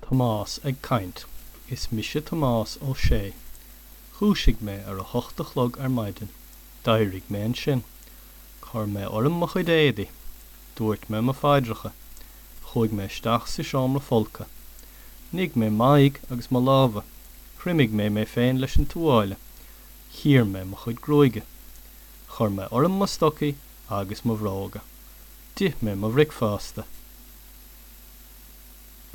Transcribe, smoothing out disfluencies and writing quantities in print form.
Tomás ag caint. Is mise Tomás Ó Sé. Dhúisigh mé ar a hocht a chlog ar maidin. D'éirigh mé ansin. Chuir mé orm mo chuid éadaí. Dúirt mé mo phaidreacha. Chuaigh mé isteach sa seomra folctha. Nigh mé m'aghaidh agus mo lámha. Thriomaigh mé mé féin leis an tuáille. Chíor mé mo chuid gruaige. Chuir mé orm mo stocaí agus mo bhróga. D'ith mé mo bhricfeasta.